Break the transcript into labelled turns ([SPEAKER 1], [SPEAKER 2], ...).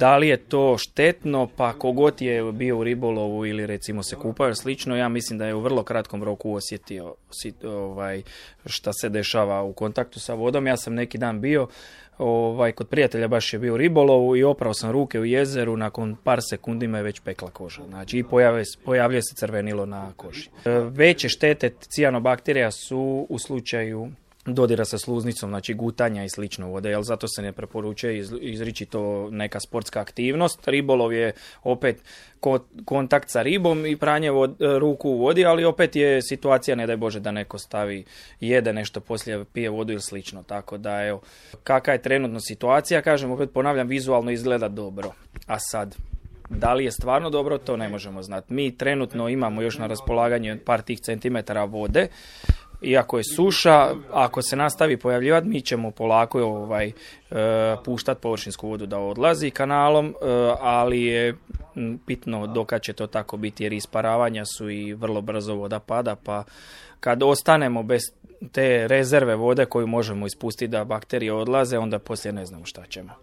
[SPEAKER 1] Da li je to štetno? Pa kogod je bio u ribolovu ili recimo se kupao slično, ja mislim da je u vrlo kratkom roku osjetio šta se dešava u kontaktu sa vodom. Ja sam neki dan bio kod prijatelja, baš je bio u ribolovu i oprao sam ruke u jezeru, nakon par sekundi me je već pekla koža. Znači i pojavljuje se crvenilo na koži. Veće štete cijanobakterija su u slučaju dodira sa sluznicom, znači gutanja i slično vode, jer zato se ne preporučuje izričito neka sportska aktivnost. Ribolov je opet kontakt sa ribom i pranje ruku u vodi, ali opet je situacija, ne daj Bože da neko jede nešto poslije, pije vodu ili slično. Tako da, evo, kakva je trenutno situacija, kažem, opet ponavljam, vizualno izgleda dobro. A sad, da li je stvarno dobro, to ne možemo znati. Mi trenutno imamo još na raspolaganju par tih centimetara vode, iako je suša, ako se nastavi pojavljivati, mi ćemo polako puštati površinsku vodu da odlazi kanalom, ali je bitno dokad će to tako biti, jer isparavanja su i vrlo brzo voda pada, pa kad ostanemo bez te rezerve vode koju možemo ispustiti da bakterije odlaze, onda poslije ne znamo šta ćemo.